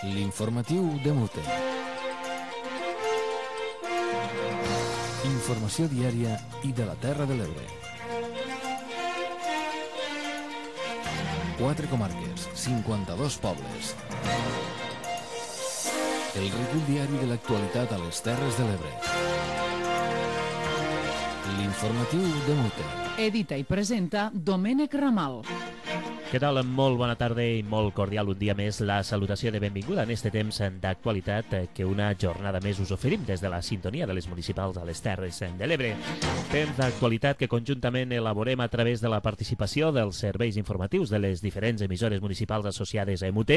L'informatiu de Mute. Informació diària i de la Terra de l'Ebre. 4 comarques, 52 pobles. El recull diari de l'actualitat a les Terres de l'Ebre. L'informatiu de Mute. Edita i presenta Domènec Ramal. Què tal? Molt bona tarda i molt cordial un dia més la salutació de benvinguda en este temps d'actualitat que una jornada més us oferim des de la sintonia de les municipals a les Terres de l'Ebre. Temps d'actualitat que conjuntament elaborem a través de la participació dels serveis informatius de les diferents emissores municipals associades a EMUT.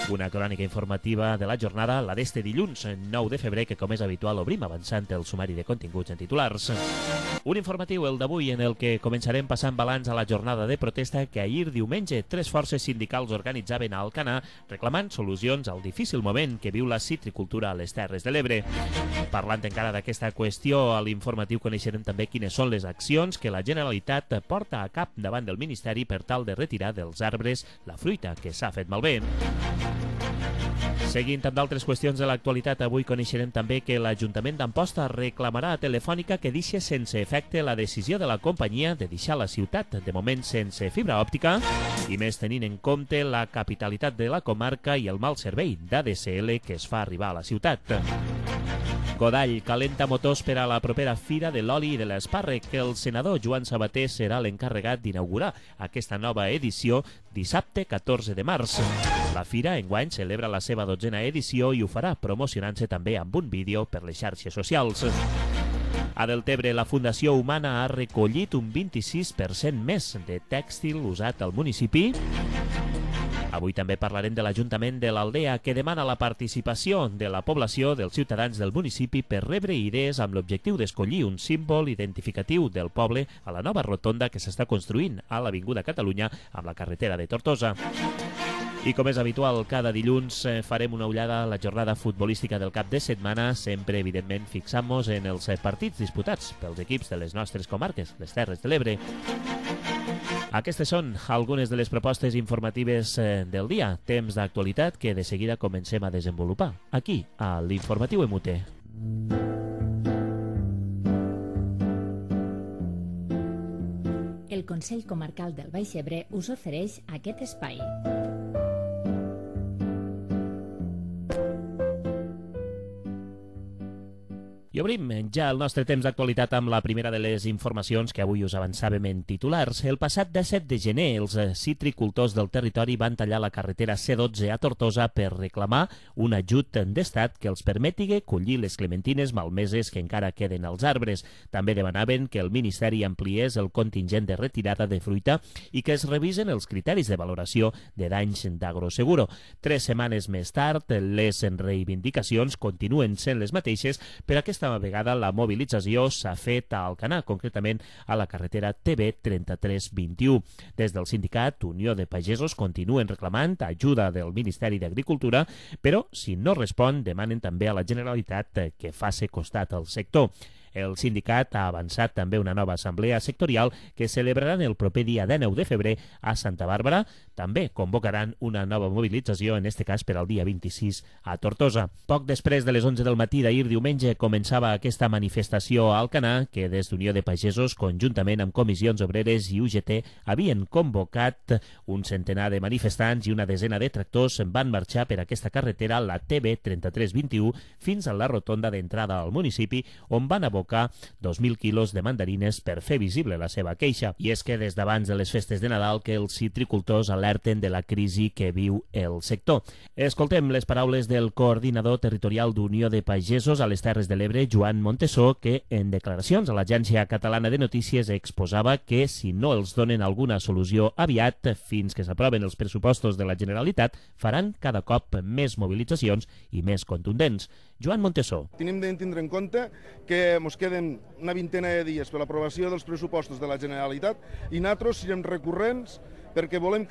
Una crònica informativa de la jornada, la d'este dilluns 9 de febrer, que com és habitual obrim avançant el sumari de continguts en titulars. Un informatiu, el d'avui, en el que començarem passant balanç a la jornada de protesta que ahir diumenge 3 forces sindicals organitzaven a Alcanar reclamant solucions al difícil moment que viu la citricultura a les Terres de l'Ebre. Parlant encara d'aquesta qüestió, a l'informatiu coneixerem també quines són les accions que la Generalitat porta a cap davant del Ministeri per tal de retirar dels arbres la fruita que s'ha fet malbé. Seguint amb d'altres qüestions de l'actualitat, avui coneixerem també que l'Ajuntament d'Amposta reclamarà a Telefònica que deixi sense efecte la decisió de la companyia de deixar la ciutat, de moment sense fibra òptica, i més tenint en compte la capitalitat de la comarca i el mal servei d'ADSL que es fa arribar a la ciutat. Godall calenta motors per a la propera Fira de l'Oli i de l'Espàrrec, que el senador Joan Sabater serà l'encarregat d'inaugurar aquesta nova edició dissabte 14 de març. La Fira enguany celebra la seva 12a edició i ho farà promocionant-se també amb un vídeo per les xarxes socials. A Deltebre, la Fundació Humana ha recollit un 26% més de tèxtil usat al municipi. Avui també parlarem de l'Ajuntament de l'Aldea, que demana la participació de la població, dels ciutadans del municipi, per rebre idees amb l'objectiu d'escollir un símbol identificatiu del poble a la nova rotonda que s'està construint a l'Avinguda Catalunya amb la carretera de Tortosa. I com és habitual, cada dilluns farem una ullada a la jornada futbolística del cap de setmana, sempre, evidentment, fixant-nos en els partits disputats pels equips de les nostres comarques, les Terres de l'Ebre. Aquestes són algunes de les propostes informatives del dia, temps d'actualitat que de seguida comencem a desenvolupar, aquí, a l'Informatiu EMUT. El Consell Comarcal del Baix Ebre us ofereix aquest espai. I obrim ja el nostre temps d'actualitat amb la primera de les informacions que avui us avançàvem en titulars. El passat 17 de gener, els citricultors del territori van tallar la carretera C12 a Tortosa per reclamar un ajut d'estat que els permeti collir les clementines malmeses que encara queden als arbres. També demanaven que el Ministeri ampliés el contingent de retirada de fruita i que es revisen els criteris de valoració de danys d'Agroseguro. 3 setmanes més tard, les reivindicacions continuen sent les mateixes, però aquesta vegada la mobilització s'ha fet a Alcanar, concretament a la carretera TB 3321. Des del sindicat Unió de Pagesos continuen reclamant ajuda del Ministeri d'Agricultura, però si no respon demanen també a la Generalitat que faci costat al sector. El sindicat ha avançat també una nova assemblea sectorial que celebraran el proper dia 19 de febrer a Santa Bàrbara. També convocaran una nova mobilització, en este cas per al dia 26 a Tortosa. Poc després de les 11 del matí d'ahir diumenge començava aquesta manifestació a Alcanar que des d'Unió de Pagesos, conjuntament amb comissions obreres i UGT, havien convocat un centenar de manifestants i una desena de tractors van marxar per aquesta carretera, la TB 3321, fins a la rotonda d'entrada al municipi, on van abocar 2.000 quilos de mandarines per fer visible la seva queixa. I és que des d'abans de les festes de Nadal que els citricultors alerten de la crisi que viu el sector. Escoltem les paraules del coordinador territorial d'Unió de Pagesos a les Terres de l'Ebre, Joan Montesó, que en declaracions a l'Agència Catalana de Notícies exposava que si no els donen alguna solució aviat, fins que s'aproven els pressupostos de la Generalitat, faran cada cop més mobilitzacions i més contundents. Joan Montesó. Tenim de tindre en compte que ens queden una vintena de dies per l'aprovació dels pressupostos de la Generalitat i nosaltres serem recurrents perquè volem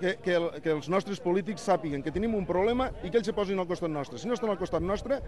que els nostres polítics sàpiguen que tenim un problema i que ells se posin al costat nostre. Si no estan al costat nostre,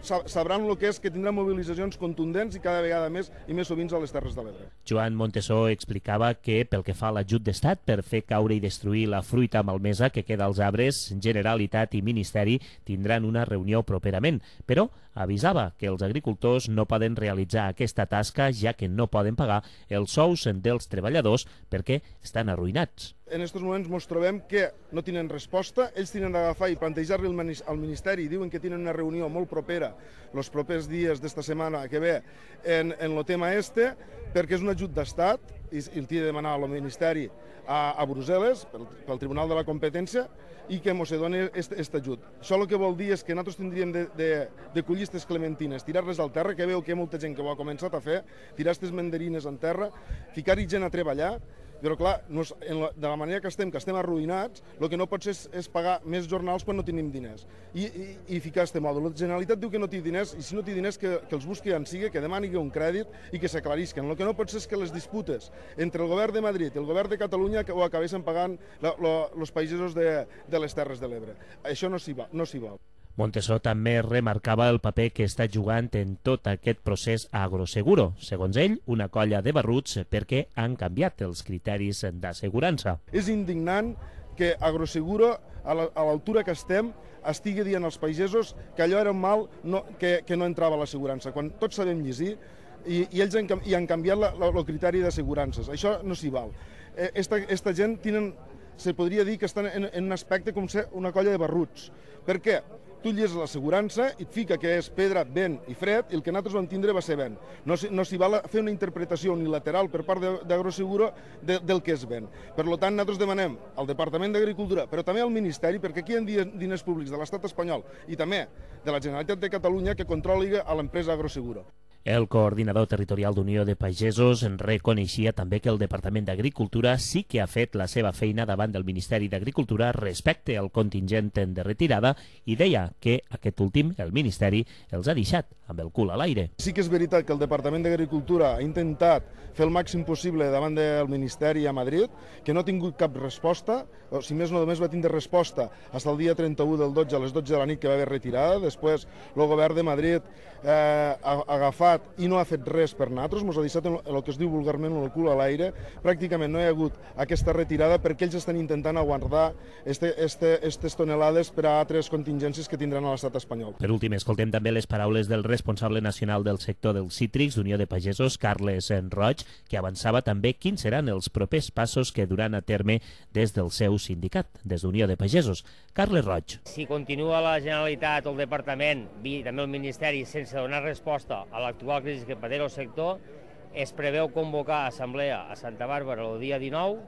sabran el que és que tindran mobilitzacions contundents i cada vegada més i més sovint a les Terres de l'Ebre. Joan Montesó explicava que, pel que fa a l'ajut d'Estat per fer caure i destruir la fruita malmesa que queda als arbres, Generalitat i Ministeri tindran una reunió properament, però avisava que els agricultors no poden realitzar aquesta tasca ja que no poden pagar els sous dels treballadors perquè estan arruïnats. En aquests moments ens trobem que no tenen resposta, ells tenen d'agafar i plantejar-li al Ministeri, diuen que tenen una reunió molt propera els propers dies d'esta setmana que ve en el tema perquè és un ajut d'Estat i el té de demanar al Ministeri a Brussel·les, pel Tribunal de la Competència, i que ens doni aquest ajut. Això el que vol dir és que nosaltres tindríem de collir aquestes clementines, tirar-les al terra, que veu que hi ha molta gent que ho ha començat a fer, tirar aquestes mandarines en terra, ficar-hi gent a treballar, però clar, de la manera que estem arruïnats, el que no pot ser és pagar més jornals quan no tenim diners i ficar aquest mòdul. La Generalitat diu que no té diners i si no té diners que els busqui en sigui, que demani un crèdit i que s'aclarisquen. El que no pot ser és que les disputes entre el govern de Madrid i el govern de Catalunya ho acabessin pagant els pagesos de les Terres de l'Ebre. Això no s'hi val. Montesó també remarcava el paper que està jugant en tot aquest procés Agroseguro. Segons ell, una colla de barruts perquè han canviat els criteris d'assegurança. És indignant que Agroseguro, a l'altura que estigui dient als pagesos que allò era un mal que no entrava a l'assegurança, quan tots sabem llegir i ells han canviat el criteri d'assegurances. Això no s'hi val. Esta gent se podria dir que estan en un aspecte com ser una colla de barruts. Per què? Tu lleses l'assegurança i et fica que és pedra, vent i fred i el que nosaltres vam tindre va ser vent. No s'hi val fer una interpretació unilateral per part d'Agroseguro del que és vent. Per tant, nosaltres demanem al Departament d'Agricultura, però també al Ministeri, perquè aquí hi ha diners públics de l'Estat espanyol i també de la Generalitat de Catalunya que controli a l'empresa Agroseguro. El coordinador territorial d'Unió de Pagesos reconeixia també que el Departament d'Agricultura sí que ha fet la seva feina davant del Ministeri d'Agricultura respecte al contingent de retirada i deia que aquest últim, el Ministeri, els ha deixat amb el cul a l'aire. Sí que és veritat que el Departament d'Agricultura ha intentat fer el màxim possible davant del Ministeri a Madrid, que no ha tingut cap resposta, o si més no només va tindre resposta fins al dia 31 del 12 a les 12 de la nit que va haver retirada. Després el govern de Madrid ha agafat i no ha fet res per nosaltres, ens ha deixat el que es diu vulgarment el cul a l'aire. Pràcticament no hi ha hagut aquesta retirada perquè ells estan intentant aguantar aquestes tonelades per a altres contingències que tindran a l'estat espanyol. Per últim, escoltem també les paraules del responsable nacional del sector dels cítrics d'Unió de Pagesos, Carles Roig, que avançava també quins seran els propers passos que duran a terme des del seu sindicat, des d'Unió de Pagesos. Carles Roig. Si continua la Generalitat o el Departament i també el Ministeri sense donar resposta a l'actual crisi que pateix el sector, es preveu convocar assemblea a Santa Bàrbara el dia 19,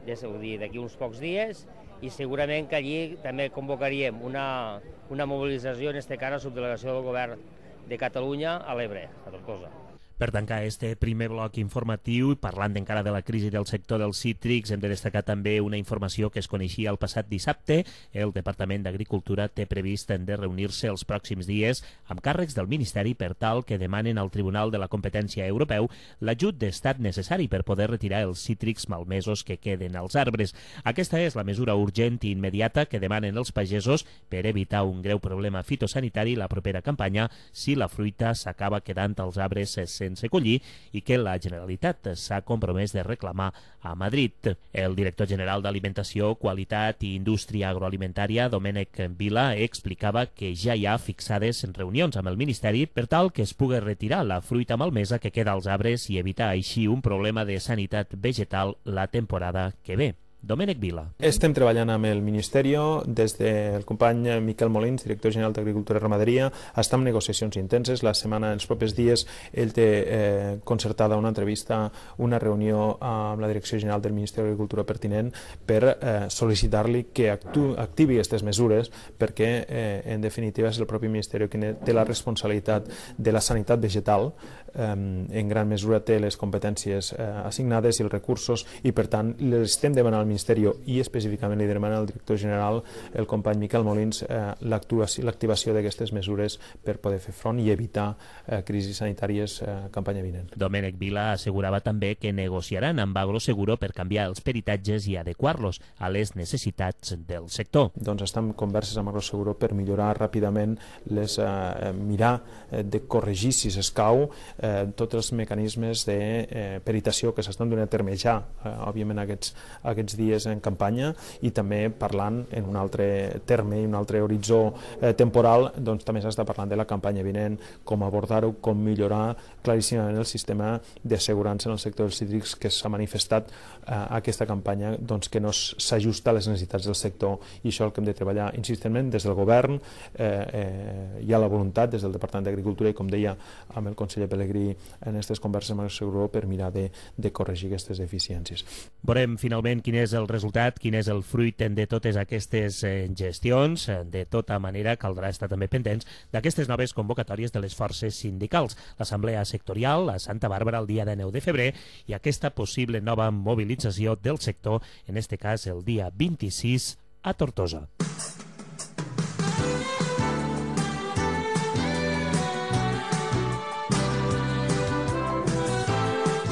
és a dir, d'aquí uns pocs dies, i segurament que allí també convocaríem una mobilització, en aquest cas a subdelegació del govern de Catalunya a l'Ebre, a Tortosa. Per tancar este primer bloc informatiu, parlant encara de la crisi del sector dels cítrics, hem de destacar també una informació que es coneixia el passat dissabte. El Departament d'Agricultura té previst de reunir-se els pròxims dies amb càrrecs del Ministeri per tal que demanen al Tribunal de la Competència Europeu l'ajut d'estat necessari per poder retirar els cítrics malmesos que queden als arbres. Aquesta és la mesura urgent i immediata que demanen els pagesos per evitar un greu problema fitosanitari la propera campanya si la fruita s'acaba quedant als arbres sense collir i que la Generalitat s'ha compromès de reclamar a Madrid. El director general d'Alimentació, Qualitat i Indústria Agroalimentària, Domènec Vila, explicava que ja hi ha fixades reunions amb el Ministeri per tal que es pugui retirar la fruita malmesa que queda als arbres i evitar així un problema de sanitat vegetal la temporada que ve. Domènec Vila. Estem treballant amb el Ministeri, des del company Miquel Molins, director general d'Agricultura i Ramaderia, està en negociacions intenses. La setmana, els propers dies, ell té concertada una entrevista, una reunió amb la Direcció General del Ministeri d'Agricultura pertinent per sol·licitar-li que activi aquestes mesures perquè, en definitiva, és el propi Ministeri que té la responsabilitat de la sanitat vegetal, en gran mesura té les competències assignades i els recursos i, per tant, les estem demanant al Ministeri i específicament li demana al director general, el company Miquel Molins, l'activació d'aquestes mesures per poder fer front i evitar crisis sanitàries campanya vinent. Domènec Vila assegurava també que negociaran amb Agroseguro per canviar els peritatges i adequar-los a les necessitats del sector. Doncs estem en converses amb Agroseguro per millorar ràpidament, mirar de corregir, si s'escau, tots els mecanismes de peritació que s'estan donant a terme ja, òbviament aquests dies en campanya, i també parlant en un altre terme i un altre horitzó temporal, doncs també s'està parlant de la campanya vinent, com abordar-ho, com millorar claríssimament el sistema d'assegurança en el sector dels cítrics que s'ha manifestat aquesta campanya, doncs que no s'ajusta a les necessitats del sector, i això és el que hem de treballar insistentment des del govern. Hi ha la voluntat des del Departament d'Agricultura i, com deia, amb el conseller Pelegrí en aquestes converses amb el Agroseguro per mirar de corregir aquestes deficiències. Veurem finalment quin és el resultat, quin és el fruit de totes aquestes gestions. De tota manera, caldrà estar també pendents d'aquestes noves convocatòries de les forces sindicals, l'Assemblea Sectorial a Santa Bàrbara el dia 9 de febrer i aquesta possible nova mobilització del sector, en este cas el dia 26 a Tortosa.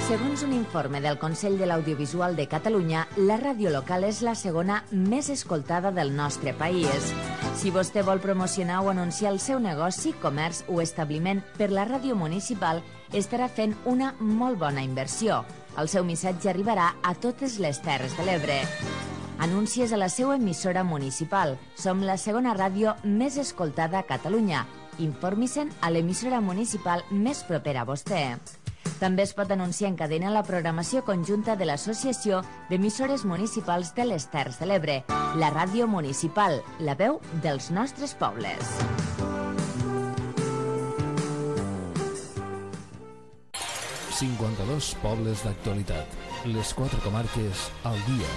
Segons un informe del Consell de l'Audiovisual de Catalunya, la ràdio local és la segona més escoltada del nostre país. Si vostè vol promocionar o anunciar el seu negoci, comerç o establiment per la ràdio municipal, estarà fent una molt bona inversió. El seu missatge arribarà a totes les Terres de l'Ebre. Anuncies a la seva emissora municipal. Som la segona ràdio més escoltada a Catalunya. Informi-se'n a l'emissora municipal més propera a vostè. També es pot anunciar en cadena la programació conjunta de l'Associació d'Emissores Municipals de les Terres de l'Ebre, la ràdio municipal, la veu dels nostres pobles. ...52 pobles d'actualitat. Les 4 comarques al dia.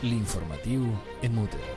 L'informatiu en Muter.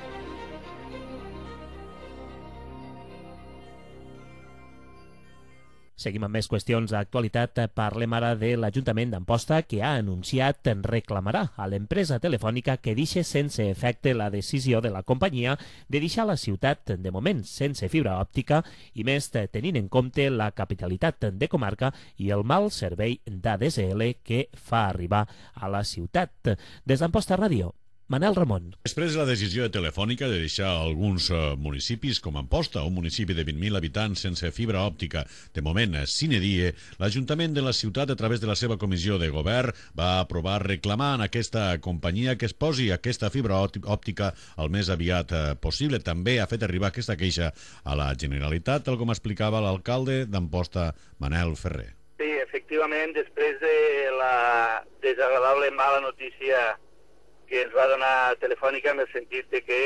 Seguim amb més qüestions d'actualitat. Parlem ara de l'Ajuntament d'Amposta, que ha anunciat reclamarà a l'empresa telefònica que deixi sense efecte la decisió de la companyia de deixar la ciutat de moment sense fibra òptica, i més tenint en compte la capitalitat de comarca i el mal servei d'ADSL que fa arribar a la ciutat. Des d'Amposta Ràdio, Manel Ramon. Després de la decisió de Telefònica de deixar alguns municipis com Amposta, un municipi de 20.000 habitants sense fibra òptica, de moment sine die, l'Ajuntament de la ciutat, a través de la seva comissió de govern, va aprovar reclamar en aquesta companyia que es posi aquesta fibra òptica el més aviat possible. També ha fet arribar aquesta queixa a la Generalitat, tal com explicava l'alcalde d'Amposta, Manel Ferrer. Sí, efectivament, després de la desagradable mala notícia que ens va donar Telefònica en el sentit de que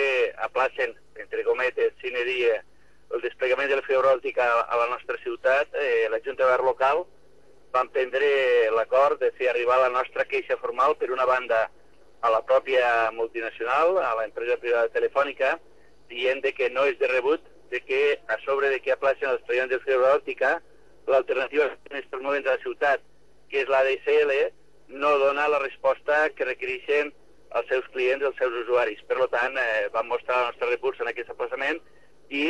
aplacen, entre cometes, sine die, el desplegament de la fibra òptica a la nostra ciutat, la Junta de Govern local va prendre l'acord de fer arribar la nostra queixa formal, per una banda, a la pròpia multinacional, a l'empresa privada Telefònica, dient que no és de rebut, de que a sobre de que aplacen els desplegament de fibra òptica, l'alternativa en aquests moments a la ciutat, que és l'ADSL, no dona la resposta que requereixen als seus clients, als seus usuaris. Per tant, vam mostrar el nostre repús en aquest aplaçament i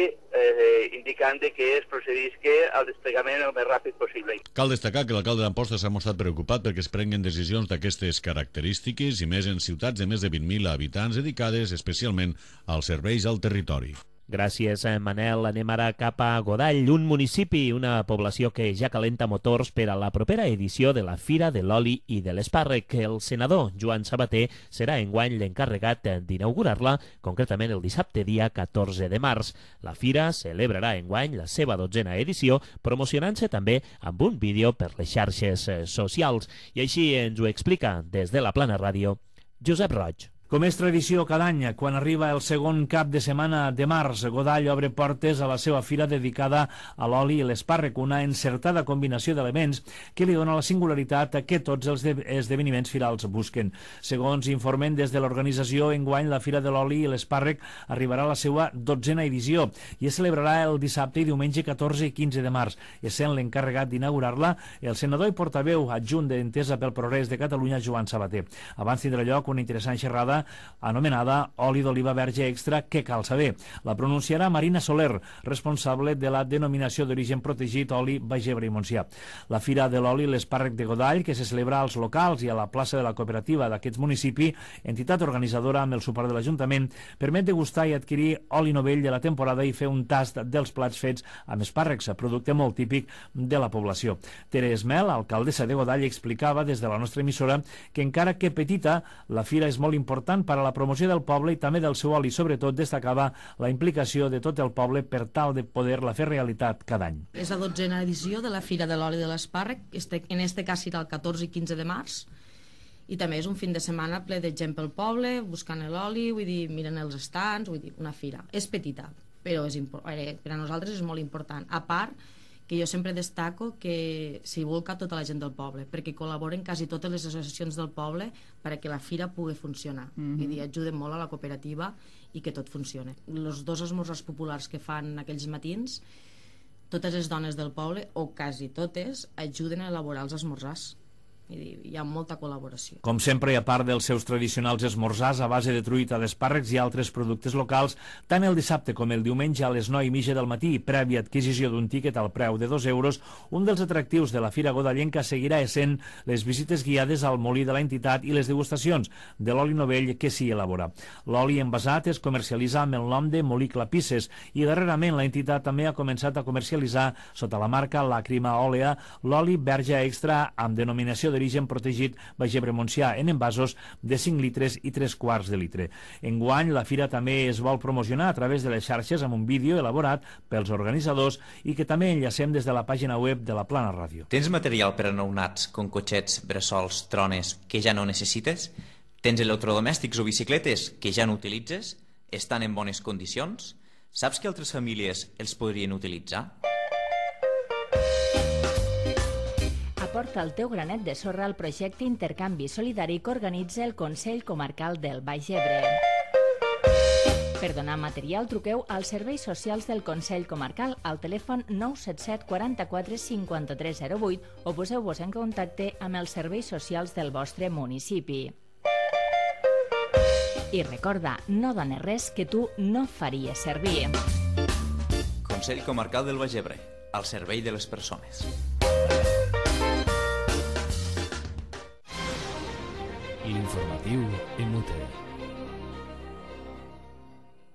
indicant que es procedisca al desplegament el més ràpid possible. Cal destacar que l'alcalde d'Amposta s'ha mostrat preocupat perquè es prenguen decisions d'aquestes característiques i més en ciutats de més de 20.000 habitants dedicades especialment als serveis al territori. Gràcies, Manel. Anem ara cap a Godall, un municipi, una població que ja calenta motors per a la propera edició de la Fira de l'Oli i de l'Espàrrec. El senador Joan Sabater serà enguany l'encarregat d'inaugurar-la, concretament el dissabte dia 14 de març. La Fira celebrarà enguany la seva 12a edició, promocionant-se també amb un vídeo per les xarxes socials. I així ens ho explica des de la Plana Ràdio, Josep Roig. Com és tradició cada any, quan arriba el segon cap de setmana de març, Godall obre portes a la seva fira dedicada a l'oli i l'espàrrec, una encertada combinació d'elements que li dona la singularitat que tots els esdeveniments firals busquen. Segons informen des de l'organització, enguany la Fira de l'Oli i l'Espàrrec arribarà a la seva 12a edició i es celebrarà el dissabte i diumenge 14 i 15 de març. Essent l'encarregat d'inaugurar-la, el senador i portaveu adjunt d'Entesa pel Progrés de Catalunya, Joan Sabater. Abans tindrà lloc una interessant xerrada anomenada oli d'oliva verge extra, que cal saber. La pronunciarà Marina Soler, responsable de la denominació d'origen protegit oli Baix Ebre i Montsià. La Fira de l'Oli l'Espàrrec de Godall, que se celebra als locals i a la plaça de la cooperativa d'aquest municipi, entitat organitzadora amb el suport de l'Ajuntament, permet degustar i adquirir oli novell de la temporada i fer un tast dels plats fets amb espàrrecs, producte molt típic de la població. Tere Esmel, alcaldessa de Godall, explicava des de la nostra emissora que encara que petita, la fira és molt important per a la promoció del poble i també del seu oli. Sobretot destacava la implicació de tot el poble per tal de poder-la fer realitat cada any. És la 12a edició de la Fira de l'Oli de l'Espàrrec, en este cas serà el 14 i 15 de març, i també és un fin de setmana ple de gent pel poble, buscant l'oli, vull dir, miren els estants, vull dir, una fira. És petita, però per a nosaltres és molt important. A part, que jo sempre destaco que s'hi volca tota la gent del poble, perquè col·laboren quasi totes les associacions del poble perquè la fira pugui funcionar. Vull dir, ajuden molt a la cooperativa i que tot funcione. Els 2 esmorzars populars que fan aquells matins, totes les dones del poble, o quasi totes, ajuden a elaborar els esmorzars. Hi ha molta col·laboració. Com sempre, a part dels seus tradicionals esmorzars a base de truita d'espàrrecs i altres productes locals, tant el dissabte com el diumenge a les 9:30 del matí, prèvia adquisició d'un tíquet al preu de 2 euros, un dels atractius de la Fira Godallenca seguirà essent les visites guiades al molí de l'entitat i les degustacions de l'oli novell que s'hi elabora. L'oli envasat es comercialitza amb el nom de Molí Clapisses i darrerament l'entitat també ha començat a comercialitzar sota la marca Làcrima Òlea l'oli verge extra amb denominació d'origen protegit Baix Ebre Montsià en envasos de 5 litres i 3/4 de litre. Enguany, la fira també es vol promocionar a través de les xarxes amb un vídeo elaborat pels organitzadors i que també enllacem des de la pàgina web de la Plana Ràdio. Tens material per a nounats com cotxets, bressols, trones que ja no necessites? Tens electrodomèstics o bicicletes que ja no utilitzes? Estan en bones condicions? Saps que altres famílies els podrien utilitzar? Aporta el teu granet de sorra al projecte Intercanvi Solidari que organitza el Consell Comarcal del Baix Ebre. Per donar material, truqueu als serveis socials del Consell Comarcal al telèfon 977 44 53 08 o poseu-vos en contacte amb els serveis socials del vostre municipi. I recorda, no dones res que tu no faries servir. Consell Comarcal del Baix Ebre, al servei de les persones. L'informatiu MUT.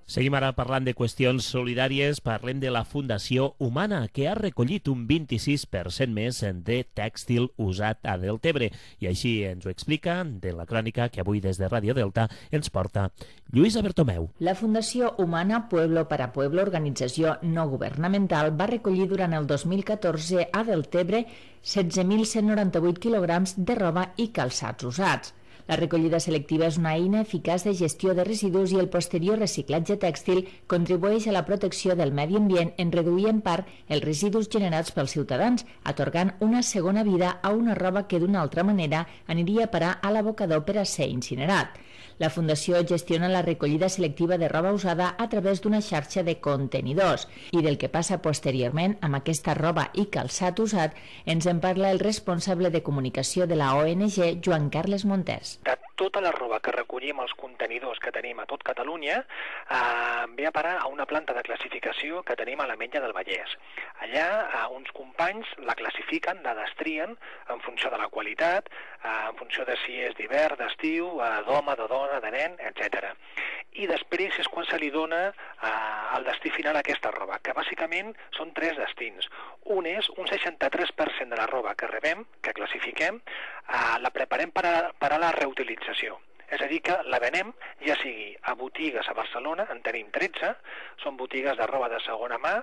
Seguim ara parlant de qüestions solidàries. Parlem de la Fundació Humana, que ha recollit un 26% més de tèxtil usat a Deltebre. I així ens ho explica de la crònica que avui des de Ràdio Delta ens porta Lluïsa Bertomeu. La Fundació Humana Pueblo para Pueblo, organització no governamental, va recollir durant el 2014 a Deltebre 16.198 quilograms de roba i calçats usats. La recollida selectiva és una eina eficaç de gestió de residus i el posterior reciclatge tèxtil contribueix a la protecció del medi ambient en reduir en part els residus generats pels ciutadans, atorgant una segona vida a una roba que d'una altra manera aniria a parar a l'abocador per a ser incinerat. La Fundació gestiona la recollida selectiva de roba usada a través d'una xarxa de contenidors i del que passa posteriorment amb aquesta roba i calçat usat ens en parla el responsable de comunicació de la ONG, Joan Carles Montés. De tota la roba que recollim als contenidors que tenim a tot Catalunya ve a parar a una planta de classificació que tenim a l'Ametlla del Vallès. Allà uns companys la classifiquen, la destrien en funció de la qualitat, en funció de si és d'hivern, d'estiu, d'home, de dona, de nen, etc. I després és quan se li dona el destí final a aquesta roba, que bàsicament són 3 destins. Un és un 63% de la roba que rebem, que classifiquem, la preparem per a la reutilització. És a dir, que la venem ja sigui a botigues a Barcelona, en tenim 13, són botigues de roba de segona mà,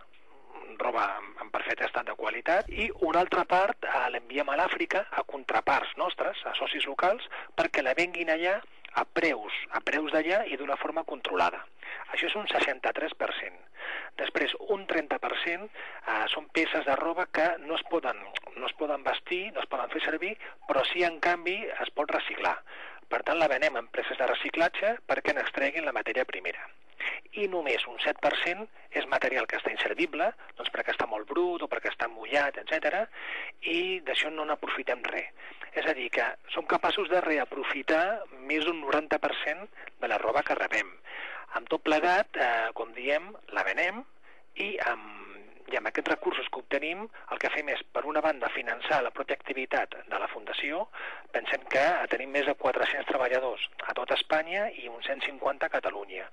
roba en perfecte estat de qualitat, i una altra part l'enviem a l'Àfrica a contraparts nostres, a socis locals, perquè la venguin allà a preus d'allà i d'una forma controlada. Això és un 63%. Després, un 30% són peces de roba que no es poden vestir, no es poden fer servir, però sí, en canvi, es pot reciclar. Per tant, la venem a empreses de reciclatge perquè n'extreguin la matèria primera. i només un 7% és material que està inservible, doncs perquè està molt brut o perquè està mullat, etc. I d'això no n'aprofitem res. És a dir, que som capaços de reaprofitar més d'un 90% de la roba que rebem. Amb tot plegat, com diem, la venem i amb aquests recursos que obtenim, el que fem és, per una banda, finançar la pròpia activitat de la Fundació. Pensem que tenim més de 400 treballadors a tot Espanya i uns 150 a Catalunya.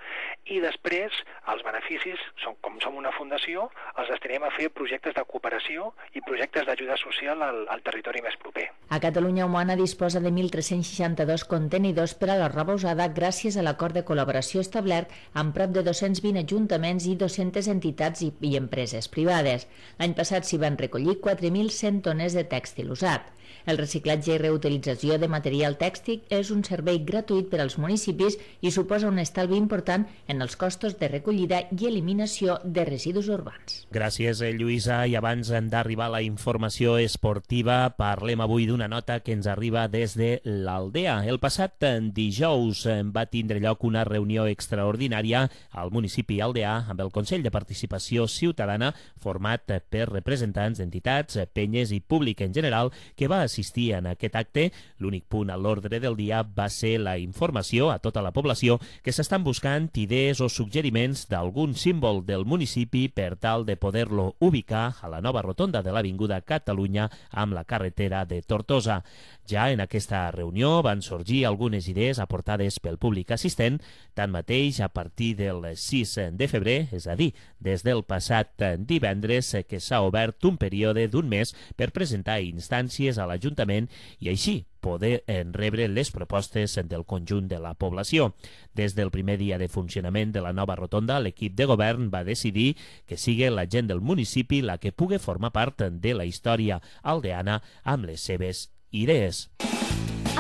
I després, els beneficis, com som una fundació, els destinem a fer projectes de cooperació i projectes d'ajuda social al territori més proper. A Catalunya Humana disposa de 1.362 contenidors per a la roba usada gràcies a l'acord de col·laboració establert amb prop de 220 ajuntaments i 200 entitats i empreses privades. L'any passat s'hi van recollir 4.100 tones de tèxtil usat. El reciclatge i reutilització de material tèxtil és un servei gratuït per als municipis i suposa un estalvi important en els costos de recollida i eliminació de residus urbans. Gràcies, Lluïsa. I abans d'arribar a la informació esportiva, parlem avui d'una nota que ens arriba des de l'Aldea. El passat dijous va tindre lloc una reunió extraordinària al municipi aldeà amb el Consell de Participació Ciutadana, format per representants d'entitats, penyes i públic en general, que va assistir en aquest acte. L'únic punt a l'ordre del dia va ser la informació a tota la població que s'estan buscant idees o suggeriments d'algun símbol del municipi per tal de poder-lo ubicar a la nova rotonda de l'Avinguda Catalunya amb la carretera de Tortosa. Ja en aquesta reunió van sorgir algunes idees aportades pel públic assistent. Tanmateix, a partir del 6 de febrer, és a dir, des del passat divendres, que s'ha obert un període d'un mes per presentar instàncies a l'Ajuntament i així poder rebre les propostes del conjunt de la població. Des del primer dia de funcionament de la nova rotonda, l'equip de govern va decidir que sigui la gent del municipi la que pugui formar part de la història aldeana amb les seves idees.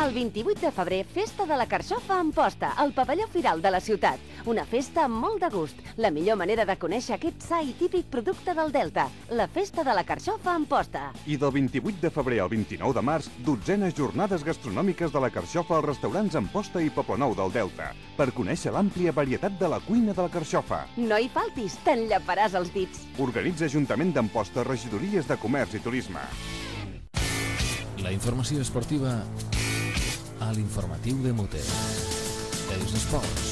El 28 de febrer, Festa de la Carxofa a Amposta, al pavelló Firal de la ciutat. Una festa amb molt de gust. La millor manera de conèixer aquest sa i típic producte del Delta. La Festa de la Carxofa a Amposta. I del 28 de febrer al 29 de març, 12enes jornades gastronòmiques de la Carxofa als restaurants Amposta i Poblenou del Delta, per conèixer l'àmplia varietat de la cuina de la Carxofa. No hi faltis, t'enllaparàs els dits. Organitza Ajuntament d'Amposta, regidories de Comerç i Turisme. La informació esportiva a l'informatiu de Mute. Els esports.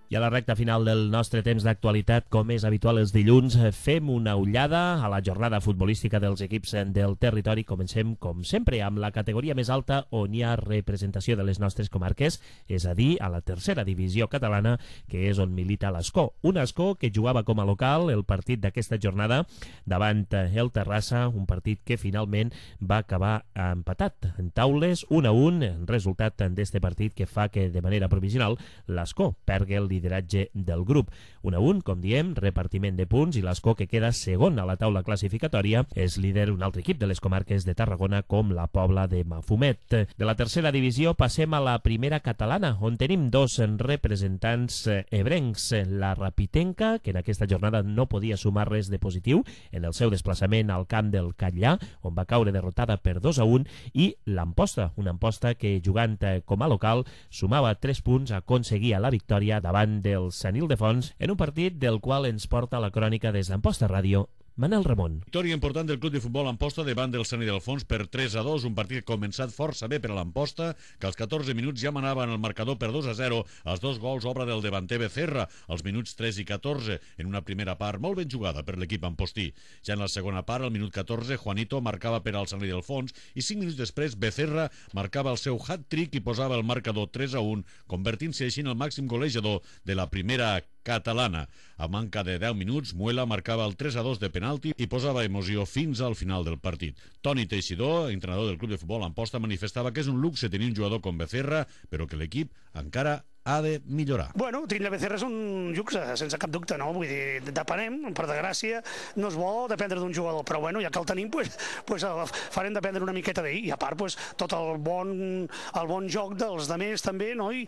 I a la recta final del nostre temps d'actualitat, com és habitual els dilluns, fem una ullada a la jornada futbolística dels equips del territori. Comencem, com sempre, amb la categoria més alta on hi ha representació de les nostres comarques, és a dir, a la tercera divisió catalana, que és on milita l'Escó. Un Escó que jugava com a local el partit d'aquesta jornada davant el Terrassa, un partit que finalment va acabar empatat en taules, 1-1, resultat d'este partit que fa que, de manera provisional, l'Escó pergui el lideratge del grup. 1-1, com diem, repartiment de punts, i l'Escó, que queda segon a la taula classificatòria, és líder un altre equip de les comarques de Tarragona, com la Pobla de Mafumet. De la tercera divisió passem a la primera catalana, on tenim dos representants ebrencs. La Rapitenca, que en aquesta jornada no podia sumar res de positiu en el seu desplaçament al camp del Catllà, on va caure derrotada per 2-1, i l'Amposta, una Amposta que, jugant com a local, sumava 3 punts, aconseguia la victòria davant del Sant Ildefons en un partit del qual ens porta la crònica des d'Amposta Ràdio, Manel Ramon. Victòria important del Club de Futbol Amposta davant del Sant Ildefons per 3-2, un partit que ha començat força bé per a l'Amposta, que als 14 minuts ja manava en el marcador per 2-0, els dos gols obra del davanter Becerra, als minuts 3 i 14, en una primera part molt ben jugada per l'equip ampostí. Ja en la segona part, al minut 14, Juanito marcava per al Sant Ildefons i 5 minuts després Becerra marcava el seu hat-trick i posava el marcador 3-1, convertint-se així en el màxim golejador de la primera catalana. A manca de 10 minuts, Muela marcava el 3-2 de penalti i posava emoció fins al final del partit. Toni Teixidor, entrenador del Club de Futbol Amposta, manifestava que és un luxe tenir un jugador com Becerra, però que l'equip encara ha de millorar. Bueno, tindre Becerra és un luxe, sense cap dubte, no? Vull dir, depenem, per desgràcia, no és bo dependre d'un jugador, però bueno, ja que el tenim, pues farem dependre una miqueta d'ell, i a part, tot el bon joc dels demés també, no? I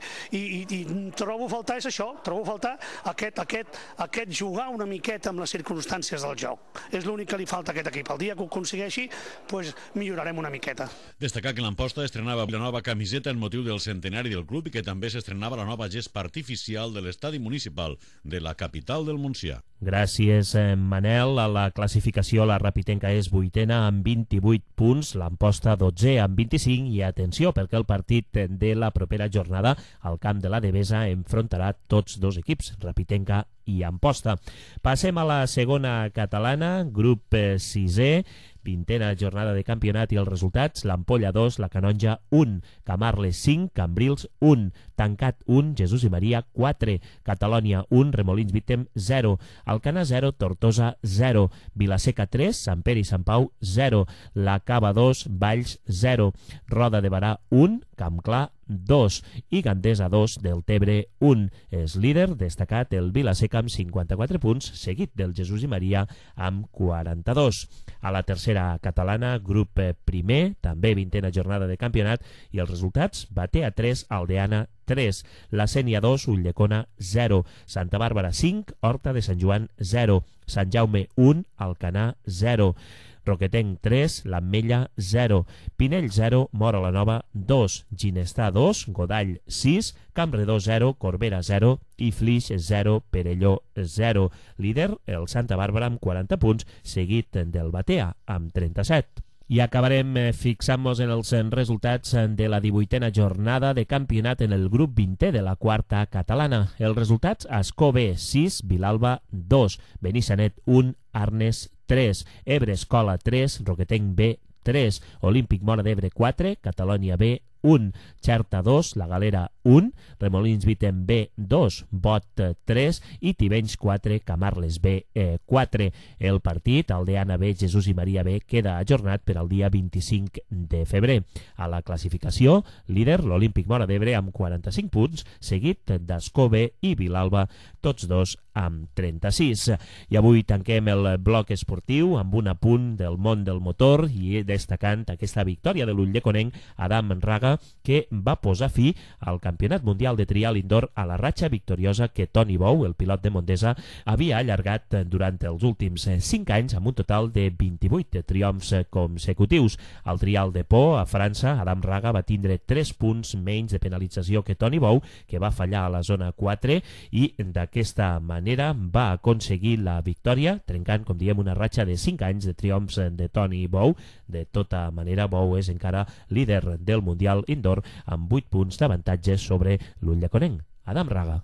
trobo a faltar és això, trobo a faltar aquest jugar una miqueta amb les circumstàncies del joc. És l'únic que li falta a aquest equip. El dia que ho aconsegueixi, pues millorarem una miqueta. Destacar que l'Amposta estrenava la nova camiseta en motiu del centenari del club i que també s'estrenava la nova gespa artificial de l'estadi municipal de la capital del Montsià. Gràcies, Manel. A la classificació, la Rapitenca és 8ena amb 28 punts, l'Amposta 12è amb 25 i atenció, perquè el partit de la propera jornada al camp de la Devesa enfrontarà tots dos equips, Rapitenca i Amposta. Passem a la segona catalana, grup 6è, 20ena jornada de campionat i els resultats: l'Ampolla 2, la Canonja 1, Camarles 5, Cambrils 1, Tancat 1, Jesús i Maria 4, Catalònia 1, Remolins Vítem 0, Alcana 0, Tortosa 0, Vilaseca 3, Sant Pere i Sant Pau 0, La Cava 2, Valls 0, Roda de Barà 1, Campclar 2 i Gandesa 2, Deltebre 1. És líder destacat el Vilaseca amb 54 punts, seguit del Jesús i Maria amb 42. A la tercera catalana, grup primer, també 20ena jornada de campionat, i els resultats: Batea 3, Aldeana 3, La Sénia 2, Ulldecona 0, Santa Bàrbara 5, Horta de Sant Joan 0, Sant Jaume 1, Alcanar 0, Roquetenc 3, l'Ametlla 0, Pinell 0, Móra la Nova 2, Ginestà 2, Godall 6, Campredó 0, Corbera 0 i Flix 0, Perelló 0. Líder el Santa Bàrbara amb 40 punts, seguit del Batea amb 37. I acabarem fixant-nos en els resultats de la 18a jornada de campionat en el grup 20è de la quarta catalana. Els resultats: Ascó B 6, Vilalba 2, Benissanet 1, Arnes 3, Ebre Escola 3, Roquetenc B 3, Olímpic Móra d'Ebre 4, Catalònia B 1, Xerta 2, La Galera 1, Remolins Vítem B 2, Bot 3 i Tivenys 4, Camarles B 4. El partit, Aldeana B, Jesús i Maria B, queda ajornat per al dia 25 de febrer. A la classificació, líder l'Olímpic Móra d'Ebre amb 45 punts, seguit d'Ascó B i Vilalba, tots dos amb 36. I avui tanquem el bloc esportiu amb un apunt del món del motor i destacant aquesta victòria de l'Ulldecona Adam Raga, que va posar fi al Campionat Mundial de Trial Indoor a la ratxa victoriosa que Toni Bou, el pilot de Montesa, havia allargat durant els últims 5 anys amb un total de 28 triomfs consecutius. Al Trial de Po, a França, Adam Raga va tindre 3 punts menys de penalització que Toni Bou, que va fallar a la zona 4, i d'aquesta manera va aconseguir la victòria, trencant, com diem, una ratxa de 5 anys de triomfs de Toni Bou. De tota manera, Bou és encara líder del Mundial Indoor amb 8 punts d'avantatge sobre l'Ulldecona Adam Raga.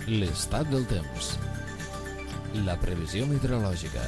L'estat del temps. La previsió meteorològica.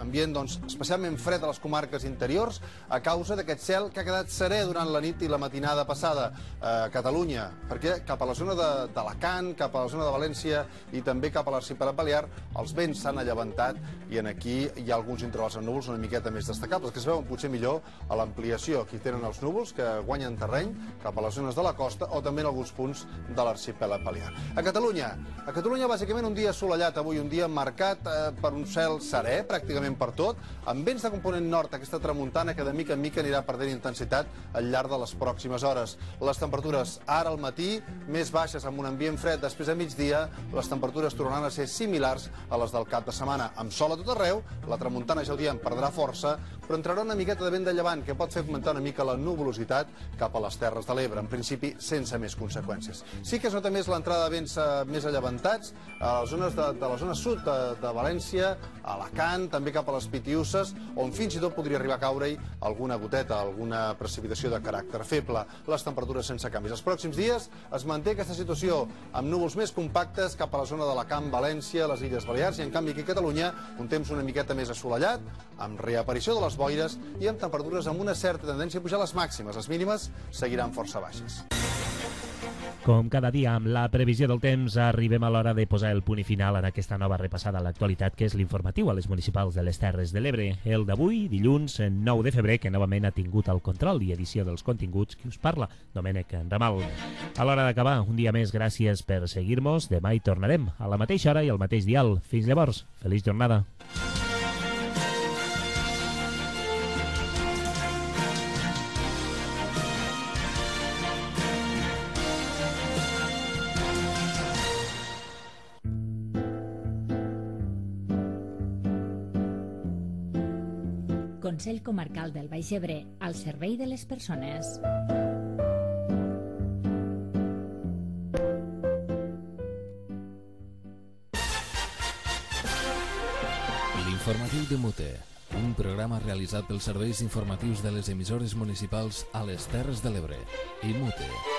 Ambient especialment fred a les comarques interiors a causa d'aquest cel que ha quedat serè durant la nit i la matinada passada a Catalunya, perquè cap a la zona d'Alacant, cap a la zona de València i també cap a l'arxipèlag Balear els vents s'han allevantat i aquí hi ha alguns intervals amb núvols una miqueta més destacables, que es veuen potser millor a l'ampliació. Aquí tenen els núvols que guanyen terreny cap a les zones de la costa o també en alguns punts de l'arxipèlag Balear. A Catalunya bàsicament un dia assolellat avui, un dia marcat per un cel serè, pràcticament per tot, amb vents de component nord, aquesta tramuntana que de mica en mica anirà perdent intensitat al llarg de les pròximes hores. Les temperatures ara al matí més baixes amb un ambient fred, després a migdia les temperatures tornaran a ser similars a les del cap de setmana, amb sol a tot arreu, la tramuntana ja ho diem perdrà força, però entrarà una miqueta de vent de llevant que pot fer augmentar una mica la nuvolositat cap a les Terres de l'Ebre, en principi sense més conseqüències. Sí que es nota més l'entrada de vents més allevantats a les zones de la zona sud de València, Alacant, també cap a les Pitiüses, on fins i tot podria arribar a caure-hi alguna goteta, alguna precipitació de caràcter feble. Les temperatures sense canvis. Els pròxims dies es manté aquesta situació amb núvols més compactes cap a la zona d'Alacant, València, les Illes Balears, i en canvi aquí a Catalunya un temps una miqueta més assolellat, amb reaparició de les boires i amb temperatures amb una certa tendència a pujar les màximes. Les mínimes seguiran força baixes. Com cada dia, amb la previsió del temps, arribem a l'hora de posar el punt i final en aquesta nova repassada a l'actualitat, que és l'informatiu a les municipals de les Terres de l'Ebre. El d'avui, dilluns 9 de febrer, que novament ha tingut el control i edició dels continguts, qui us parla, Domènec Ramal. A l'hora d'acabar, un dia més, gràcies per seguir-nos. Demà hi tornarem, a la mateixa hora i al mateix dial. Fins llavors, feliç jornada. Consell Comarcal del Baix Ebre, al servei de les persones. L'informatiu de Mute, un programa realitzat pels serveis informatius de les emissores municipals a les Terres de l'Ebre i Mute.